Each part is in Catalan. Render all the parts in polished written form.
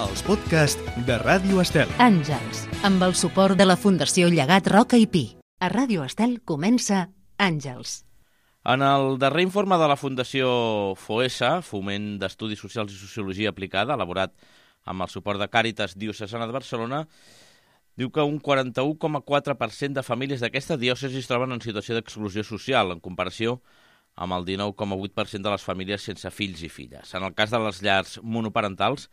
els podcasts de Ràdio Estel. Àngels, amb el suport de la Fundació Llegat Roca i Pi. A Ràdio Estel comença Àngels. En el darrer informe de la Fundació FOESA, Foment d'Estudis Socials i Sociologia Aplicada, elaborat amb el suport de Càritas Diocesana de Barcelona, diu que un 41,4% de famílies d'aquesta diòcesi es troben en situació d'exclusió social, en comparació amb el 19,8% de les famílies sense fills i filles. En el cas de les llars monoparentals,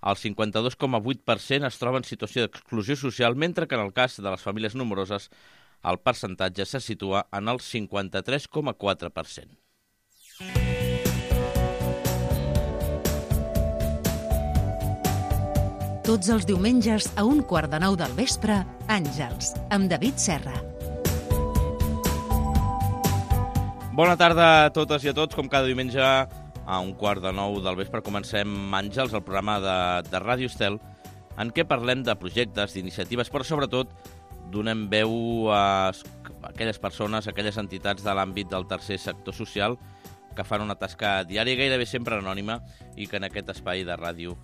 el 52,8% es troba en situació d'exclusió social, mentre que en el cas de les famílies nombroses el percentatge se situa en el 53,4%. Tots els diumenges a 8:45 del vespre, Àngels, amb David Serra. Bona tarda a totes i a tots. Com cada diumenge a 8:45 del vespre comencem Àngels, el programa de Ràdio Estel, en què parlem de projectes, d'iniciatives, però sobretot donem veu a aquelles persones, a aquelles entitats de l'àmbit del tercer sector social que fan una tasca diària, gairebé sempre anònima, i que en aquest espai de ràdio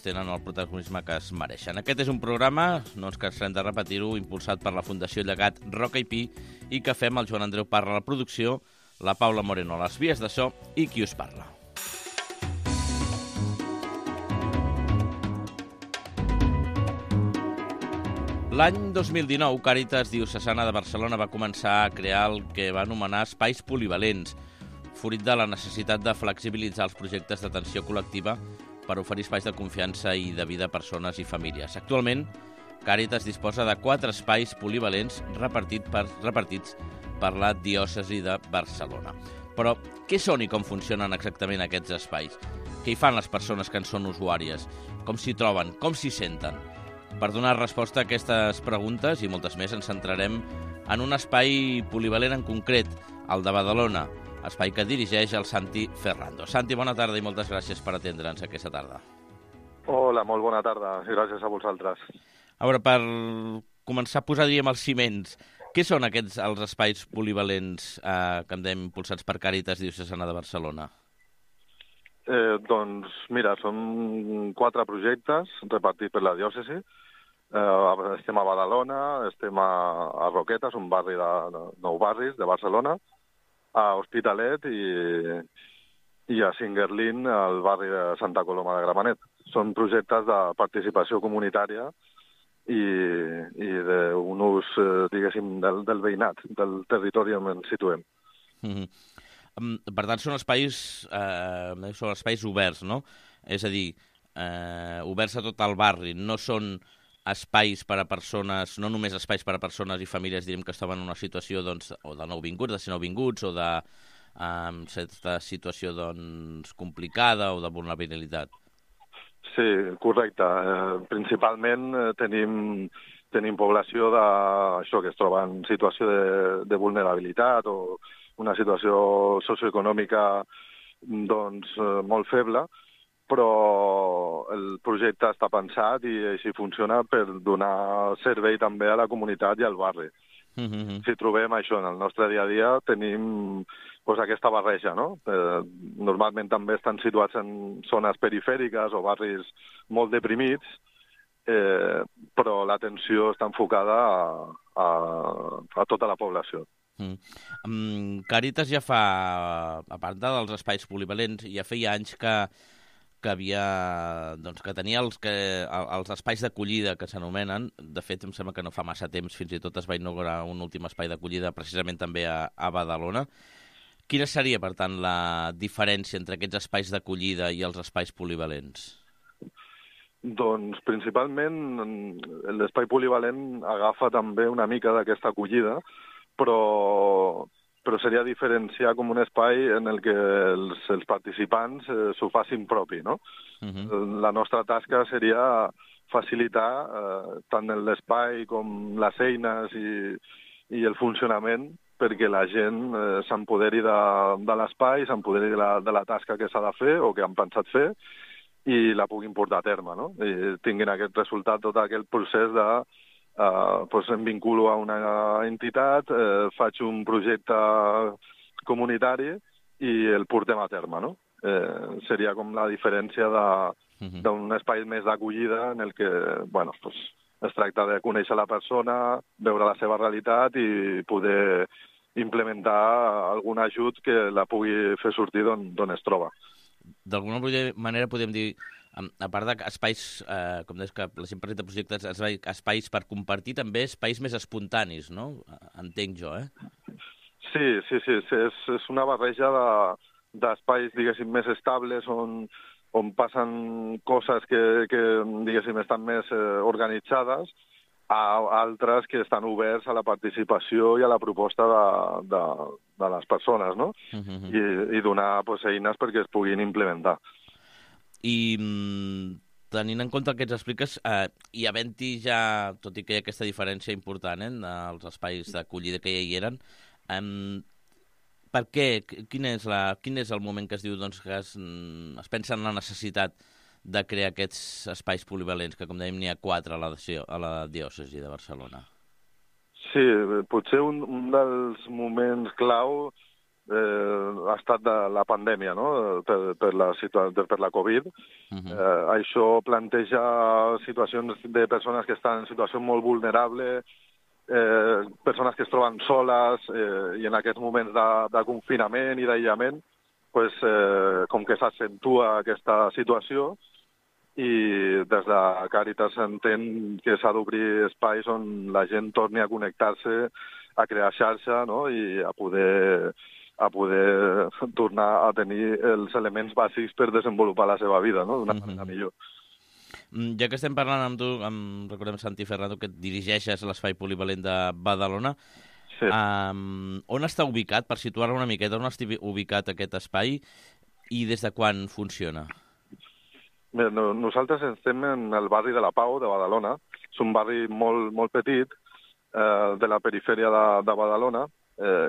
tenen el protagonisme que es mereixen. Aquest és un programa, no ens cansarem de repetir-ho, impulsat per la Fundació Llegat Roca i Pi, i que fem el Joan Andreu Parra a la producció, la Paula Moreno a les vies de so i qui us parla. L'any 2019, Càritas Diocesana de Barcelona va començar a crear el que va anomenar espais polivalents, fruit de la necessitat de flexibilitzar els projectes d'atenció col·lectiva per oferir espais de confiança i de vida a persones i famílies. Actualment, Càritas disposa de 4 espais polivalents repartits per la diòcesi de Barcelona. Però què són i com funcionen exactament aquests espais? Què hi fan les persones que en són usuàries? Com s'hi troben? Com s'hi senten? Per donar resposta a aquestes preguntes i moltes més ens centrarem en un espai polivalent en concret, el de Badalona, espai que dirigeix el Santi Ferrando. Santi, bona tarda i moltes gràcies per atendre'ns aquesta tarda. Hola, molt bona tarda i gràcies a vosaltres. A veure, per començar a posar, els ciments, què són aquests els espais polivalents que hem impulsats per Càritas Diocesana de Barcelona? Doncs mira, són 4 projectes repartits per la diòcesi. Estem a Badalona, estem a Roquetes, un barri de 9 barris de Barcelona, a Hospitalet i a Singuerlín, al barri de Santa Coloma de Gramenet. Són projectes de participació comunitària i d'un ús, diguéssim, del veïnat, del territori on ens situem. Per tant, són espais oberts, no? És a dir, oberts a tot el barri, no són espais per a persones, no només espais per a persones i famílies, diríem, que es troben en una situació o de nouvinguts, de ser nouvinguts, o de certa situació complicada o de vulnerabilitat. Sí, correcte. Principalment tenim població que es troba en situació de vulnerabilitat o una situació socioeconòmica molt feble, però el projecte està pensat i així funciona per donar servei també a la comunitat i al barri. Si trobem això en el nostre dia a dia, tenim aquesta barreja, no? Normalment també estan situats en zones perifèriques o barris molt deprimits, però l'atenció està enfocada a tota la població. Càritas ja fa, a part dels espais polivalents, ja feia anys que tenia els espais d'acollida que s'anomenen. De fet, em sembla que no fa massa temps, fins i tot es va inaugurar un últim espai d'acollida precisament també a Badalona. Quina seria, per tant, la diferència entre aquests espais d'acollida i els espais polivalents? Doncs, principalment, l'espai polivalent agafa també una mica d'aquesta acollida, però seria diferenciar com un espai en el que els participants s'ho facin propi, no? La nostra tasca seria facilitar tant l'espai com les eines i el funcionament perquè la gent s'empoderi de l'espai, s'empoderi de la tasca que s'ha de fer o que han pensat fer i la puguin portar a terme, no? I tinguin aquest resultat, tot aquest procés de em vinculo a una entitat, faig un projecte comunitari i el portem a terme, no? Seria com la diferència d'un espai més d'acollida en el que, bueno, pues, es tracta de conèixer la persona, veure la seva realitat i poder implementar algun ajut que la pugui fer sortir d'on es troba. D'alguna manera podem dir, a part d'espais, com deies, que la gent presenta projectes, espais per compartir, també espais més espontanis, no? Entenc jo, Sí, és una barreja d'espais, diguéssim, més estables, on passen coses que diguéssim, estan més organitzades, a altres que estan oberts a la participació i a la proposta de les persones, no? I donar eines perquè es puguin implementar. I tenint en compte el que ens expliques, i havent-hi ja, tot i que hi ha aquesta diferència important dels espais d'acollida que ja hi eren, per què? Quin és el moment que es diu que es pensa en la necessitat de crear aquests espais polivalents, que com dèiem n'hi ha 4 a la diòcesi de Barcelona? Sí, potser un dels moments clau ha estat de la pandèmia, no? per la Covid. Això planteja situacions de persones que estan en situació molt vulnerable, persones que es troben soles, i en aquests moments de confinament i d'aïllament, pues, com que s'accentua aquesta situació, i des de Càritas s'entén que s'ha d'obrir espais on la gent torni a connectar-se, a crear xarxa, no? I a poder tornar a tenir els elements bàsics per desenvolupar la seva vida, no? D'una manera millor. Ja que estem parlant amb tu, recordem Santi Ferrando, que dirigeixes l'espai polivalent de Badalona, sí. On està ubicat, per situar-lo una miqueta, on està ubicat aquest espai i des de quan funciona? Bé, nosaltres estem en el barri de la Pau, de Badalona. És un barri molt, molt petit, de la perifèria de Badalona,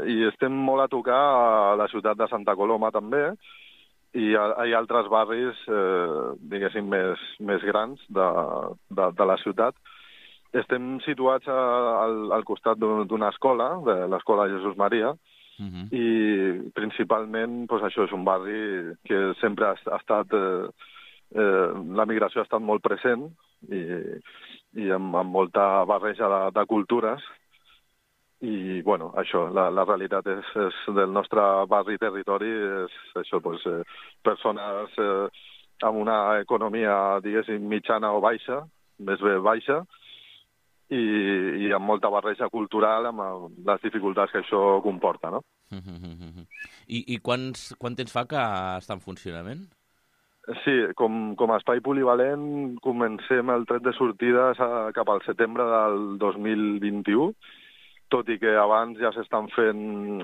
i estem molt a tocar a la ciutat de Santa Coloma també, i hi ha altres barris, diguéssim, més grans de la ciutat. Estem situats al costat d'una escola, de l'escola Jesús Maria, i principalment doncs, això és un barri que sempre ha estat... la migració ha estat molt present i amb molta barreja de cultures i, bueno, això, la realitat és del nostre barri territori és això, doncs, persones amb una economia, diguéssim, mitjana o baixa, més bé baixa, i amb molta barreja cultural amb les dificultats que això comporta, no? I quant temps fa que està en funcionament? Sí, com a espai polivalent comencem el tret de sortides cap al setembre del 2021, tot i que abans ja s'estan fent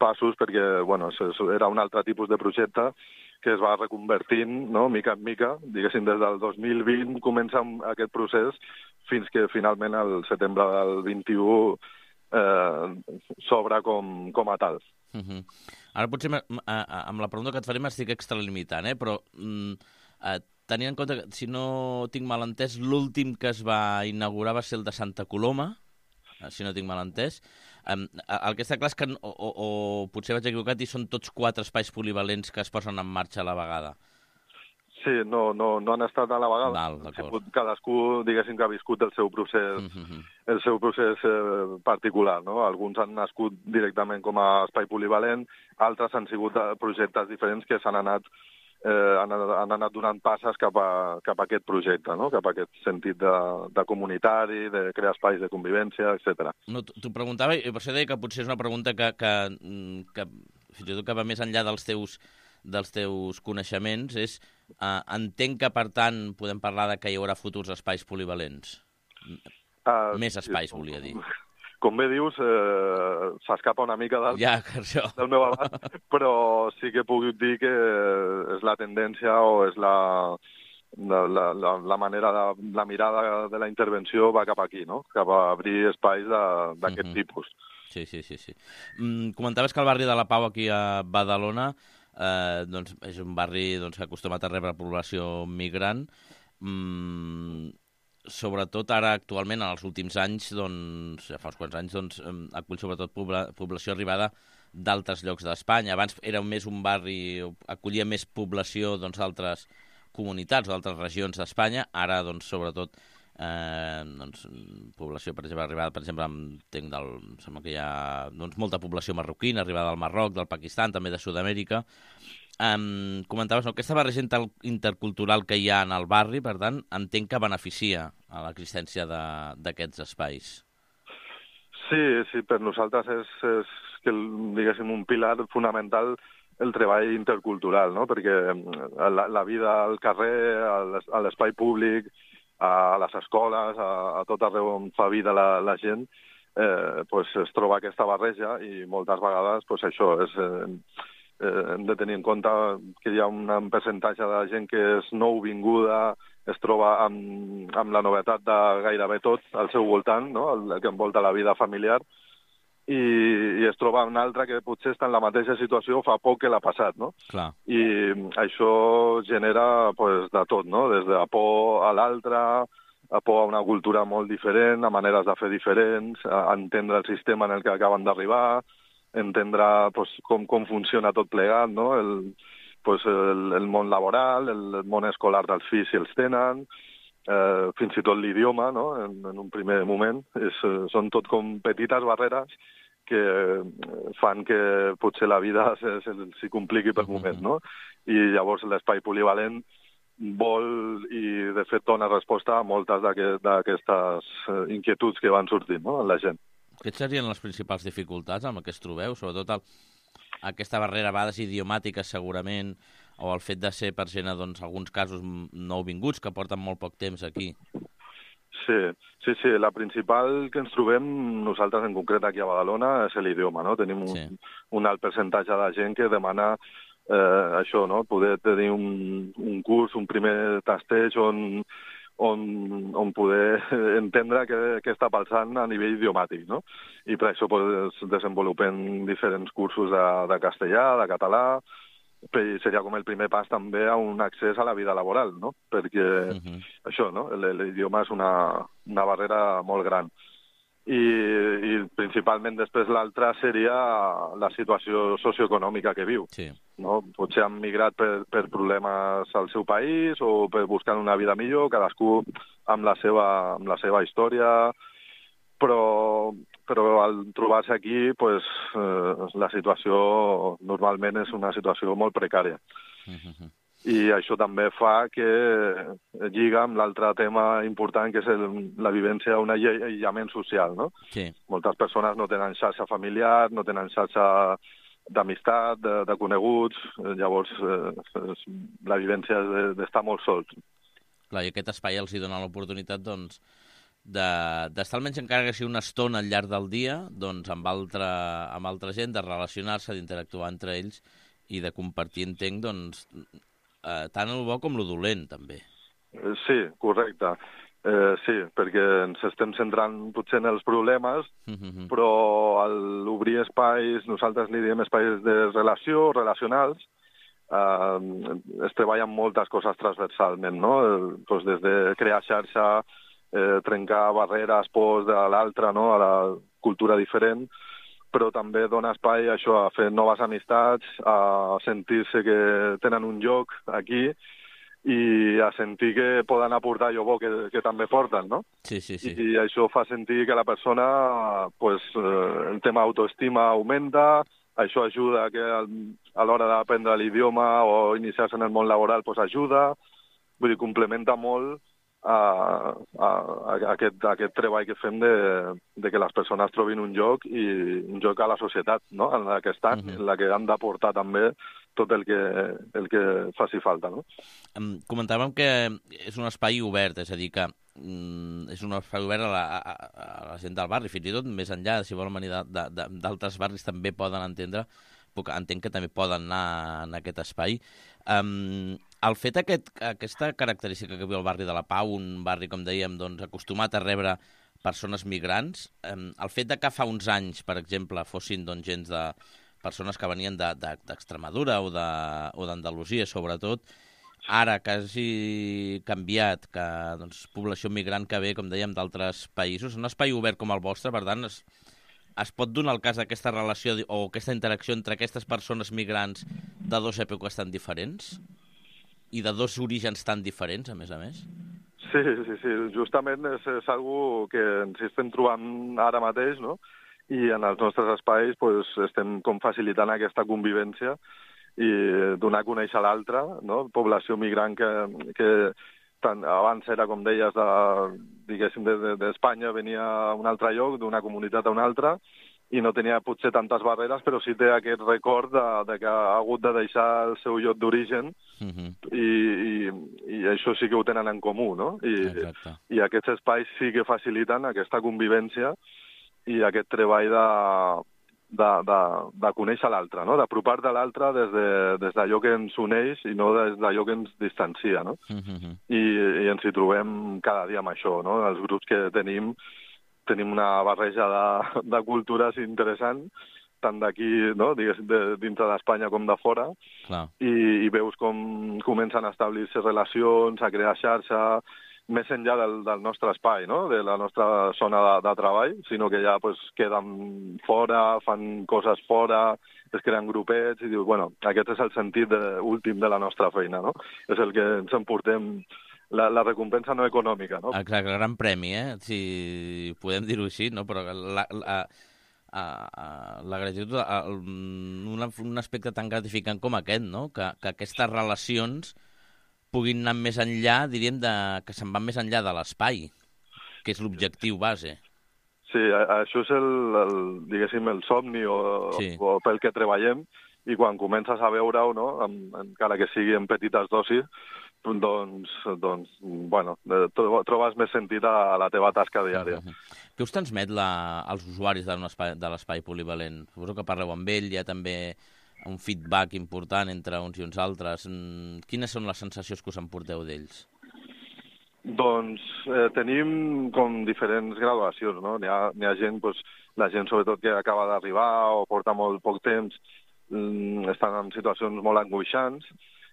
passos perquè bueno, era un altre tipus de projecte que es va reconvertint, no, mica en mica. Diguéssim, des del 2020 comença aquest procés fins que finalment el setembre del 21 s'obre com a tal. Ara potser amb la pregunta que et faré m'estic extralimitant, però tenint en compte que, si no tinc mal entès, l'últim que es va inaugurar va ser el de Santa Coloma, si no tinc mal entès. El que està clar és que, o potser vaig equivocat, i són tots 4 espais polivalents que es posen en marxa a la vegada. Sí, no han estat a la vegada. Cadascú, diguéssim, que ha viscut el seu procés particular, no? Alguns han nascut directament com a espai polivalent, altres han sigut projectes diferents que s'han anat donant passes cap a aquest projecte, no? Cap a aquest sentit de comunitari, de crear espais de convivència, etc. No, t'ho preguntava, i per això deia que potser és una pregunta que fins i tot que va més enllà dels teus coneixements, entenc que, per tant, podem parlar de que hi haurà futurs espais polivalents. Més espais, volia dir. Com bé dius, s'escapa una mica del meu abast, però sí que puc dir que és la tendència o és la manera, la mirada de la intervenció va cap aquí, no? Cap a obrir espais d'aquest tipus. Sí. Comentaves que el barri de la Pau, aquí a Badalona, és un barri que acostumat a rebre població migrant. Sobretot ara, actualment, en els últims anys, ja fa uns quants anys, acull sobretot població arribada d'altres llocs d'Espanya. Abans era més un barri, acollia més població d'altres comunitats o d'altres regions d'Espanya. Ara, doncs, sobretot, població, per exemple, arribada, per exemple, sembla que hi ha molta població marroquina, arribada del Marroc, del Pakistan, també de Sud-amèrica. Comentaves, aquesta barreja intercultural que hi ha en el barri, per tant, entenc que beneficia a l'existència d'aquests espais. Sí, per nosaltres és que, diguéssim, un pilar fonamental el treball intercultural, no? Perquè la vida al carrer, a l'espai públic, a les escoles, a tot arreu on fa vida la gent, es troba aquesta barreja i moltes vegades això hem de tenir en compte que hi ha un percentatge de gent que és nouvinguda, es troba amb la novetat de gairebé tot al seu voltant, no? El que envolta la vida familiar, i es troba un altre que potser està en la mateixa situació fa poc que l'ha passat, no? Clar. I això genera de tot, no? Des de por a l'altre, a por a una cultura molt diferent, a maneres de fer diferents, a entendre el sistema en el que acaben d'arribar, entendre com funciona tot plegat, no? El món laboral, el món escolar dels fills si els tenen, fins i tot l'idioma, no? En un primer moment. Són tot com petites barreres que fan que potser la vida s'hi compliqui per moments, no? I llavors l'espai polivalent vol i, de fet, dona resposta a moltes d'aquestes inquietuds que van sortint, no?, en la gent. Què serien les principals dificultats amb què es trobeu? Sobretot aquesta barrera a vegades idiomàtica, segurament, o el fet de ser per gent, doncs, alguns casos nouvinguts que porten molt poc temps aquí. Sí, la principal que ens trobem nosaltres en concret aquí a Badalona és l'idioma, no? Tenim un alt percentatge de gent que demana això, no? Poder tenir un curs, un primer tasteig on poder entendre què està passant a nivell idiomàtic, no? I per això desenvolupem diferents cursos de castellà, de català, seria com el primer pas també a un accés a la vida laboral, no? Perquè això, no? L'idioma és una barrera molt gran. I principalment després l'altra seria la situació socioeconòmica que viu. Sí. No? Potser han migrat per problemes al seu país o per buscar una vida millor, cadascú amb la seva història, però al trobar-se aquí la situació normalment és una situació molt precària. I això també fa que lliga amb l'altre tema important, que és la vivència d'un aïllament social, no? Sí. Moltes persones no tenen xarxa familiar, no tenen xarxa d'amistat, de coneguts, llavors la vivència és d'estar molt sols. Clar, i aquest espai els dona l'oportunitat, doncs, d'estar almenys encara que sigui una estona al llarg del dia, doncs, amb altra gent, de relacionar-se, d'interactuar entre ells i de compartir, entenc, doncs, tant el bo com el dolent, també. Sí, correcte. Sí, perquè ens estem centrant potser en els problemes, però a l'obrir espais, nosaltres li diem espais de relació, relacionals, es treballen moltes coses transversalment, no? Des de crear xarxa, trencar barreres, pors de l'altre, no? A la cultura diferent, però també dona espai a això, a fer noves amistats, a sentir-se que tenen un lloc aquí i a sentir que poden aportar allò bo que també porten, no? Sí. I això fa sentir que la persona, el tema autoestima augmenta, això ajuda que a l'hora d'aprendre l'idioma o iniciar-se en el món laboral ajuda, vull dir, complementa molt aquest treball que fem de que les persones trobin un lloc i un lloc a la societat, no? En la que estan, en la que han d'aportar també tot el que faci falta, no? Comentàvem que és un espai obert, és a dir, que és un espai obert a la gent del barri, fins i tot més enllà, si volen venir d'altres barris també poden entendre, entenc que també poden anar en aquest espai. El fet aquesta característica que viu el barri de la Pau, un barri, com dèiem, doncs, acostumat a rebre persones migrants, el fet que fa uns anys, per exemple, fossin doncs, gens de persones que venien d'Extremadura o d'Andalusia, sobretot, ara que hagi canviat, que doncs, població migrant que ve, com dèiem, d'altres països, un espai obert com el vostre, per tant, es pot donar el cas d'aquesta relació o aquesta interacció entre aquestes persones migrants de dues èpoques tan diferents? i de dos orígens tan diferents, a més. Sí. Justament és algo que ens estem trobant ara mateix, no? I en els nostres espais pues, estem com facilitant aquesta convivència i donar a conèixer l'altre, no? Població migrant que tant abans era, com deies, d'Espanya, venia a un altre lloc, d'una comunitat a una altra, i no tenia potser tantes barreres, però sí té aquest record de que ha hagut de deixar el seu lloc d'origen i això sí que ho tenen en comú, no? I aquests espais sí que faciliten aquesta convivència i aquest treball de conèixer l'altre, no? D'apropar-te a l'altre des d'allò que ens uneix i no des d'allò que ens distancia, no? I ens hi trobem cada dia amb això, no? Els grups que tenim una barreja de cultures interessant, tant d'aquí, no? Diguéssim, dintre d'Espanya com de fora, i veus com comencen a establir-se relacions, a crear xarxa, més enllà del nostre espai, no? De la nostra zona de treball, sinó que ja pues, queden fora, fan coses fora, es creen grupets i dius, bueno, aquest és el sentit últim de la nostra feina, no? És el que ens emportem, la recompensa no econòmica, no? Exacte, el gran premi, si podem dir-ho així, no? Però la gratitud, un aspecte tan gratificant com aquest, no? Que aquestes relacions puguin anar més enllà, diríem, que se'n van més enllà de l'espai, que és l'objectiu base. Sí, això és diguéssim, el somni o pel que treballem, i quan comences a veure-ho, no? Encara que sigui en petites dosis, doncs bueno, trobes més sentit a la teva tasca diària. Què us transmet als usuaris de l'espai polivalent? Suposo que parleu amb ell, hi ha també un feedback important entre uns i uns altres. Quines són les sensacions que us emporteu d'ells? Doncs tenim com diferents graduacions, no? N'hi ha gent, doncs, la gent sobretot que acaba d'arribar o porta molt poc temps, estan en situacions molt angoixants,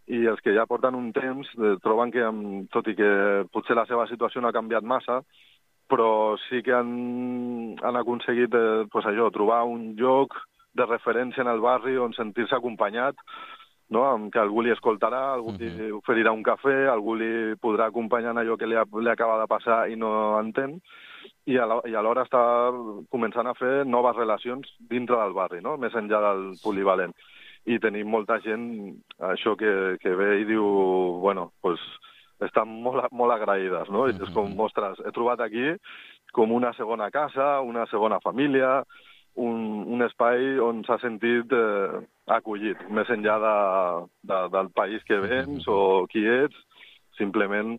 i els que ja porten un temps troben que, tot i que potser la seva situació no ha canviat massa, però sí que han aconseguit trobar un lloc de referència en el barri on sentir-se acompanyat, no? Que algú li escoltarà, algú li oferirà un cafè, algú li podrà acompanyar en allò que li acaba de passar i no entén, i alhora està començant a fer noves relacions dintre del barri, no? Més enllà del polivalent. I tenim molta gent, això que ve i diu, bueno, doncs estan molt agraïdes, no? I és com, ostres, he trobat aquí com una segona casa, una segona família, un espai on s'ha sentit acollit, més enllà del país que vens o qui ets, simplement...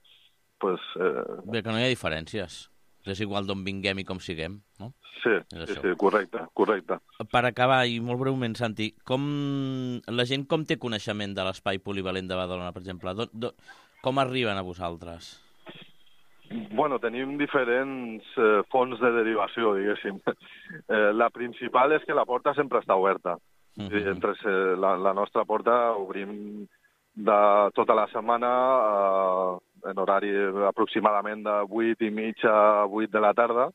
Bé, que no hi ha diferències. És igual d'on vinguem i com siguem, no? Sí, correcte. Per acabar, i molt breument, Santi, la gent com té coneixement de l'espai polivalent de Badalona, per exemple? Com arriben a vosaltres? Bueno, tenim diferents fonts de derivació, diguéssim. La principal és que la porta sempre està oberta. La nostra porta obrim tota la setmana en horari aproximadament de 8:30 a 8 de la tarda,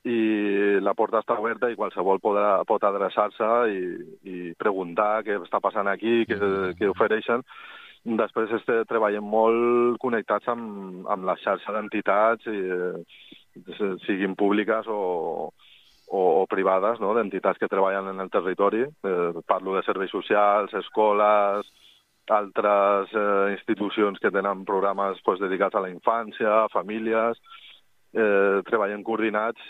i la porta està oberta i qualsevol pot adreçar-se i preguntar què està passant aquí, què ofereixen. Després treballem molt connectats amb la xarxa d'entitats, siguin públiques o privades, no? D'entitats que treballen en el territori. Parlo de serveis socials, escoles, altres institucions que tenen programes dedicats a la infància, a famílies. Treballem coordinats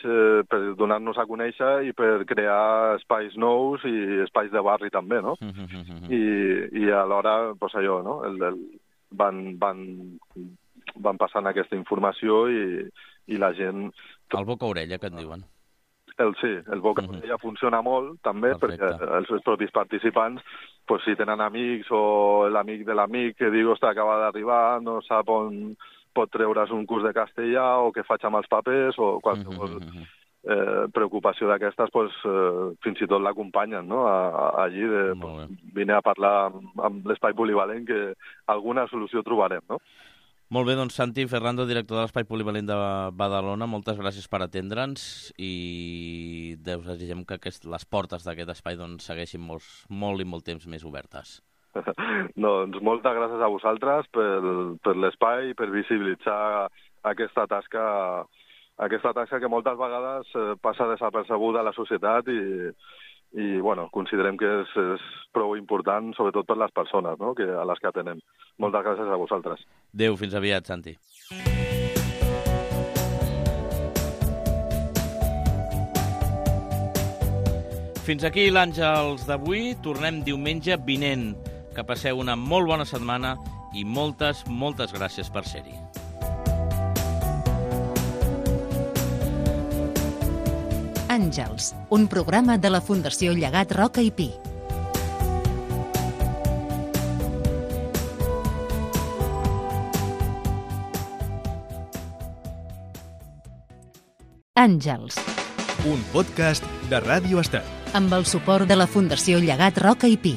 per donar-nos a conèixer i per crear espais nous i espais de barri també, no? I alhora, doncs allò, no? Van passant aquesta informació i la gent... El boca-orella, que et diuen. Sí, el boca-orella funciona molt, també, perquè els propis participants, si tenen amics o l'amic de l'amic que diu, ostres, acaba d'arribar, no sap on pot treure's un curs de castellà o què faig amb els papers o qualsevol preocupació d'aquestes, fins i tot l'acompanyen, no? Allí, vine a parlar amb l'espai polivalent, que alguna solució trobarem, no? Molt bé, doncs Santi Ferrando, director de l'Espai Polivalent de Badalona, moltes gràcies per atendre'ns i desitgem que les portes d'aquest espai segueixin molt i molt temps més obertes. Doncs moltes gràcies a vosaltres per l'espai, per visibilitzar aquesta tasca que moltes vegades passa desapercebuda a la societat i bueno, considerem que és prou important, sobretot per les persones, no? A les que atenem. Moltes gràcies a vosaltres. Adéu, fins aviat, Santi. Fins aquí l'Àngels d'avui. Tornem diumenge vinent. Que passeu una molt bona setmana i moltes gràcies per ser-hi. Àngels, un programa de la Fundació Llegat Roca i Pi. Àngels. Un podcast de Ràdio Estel. Amb el suport de la Fundació Llegat Roca i Pi.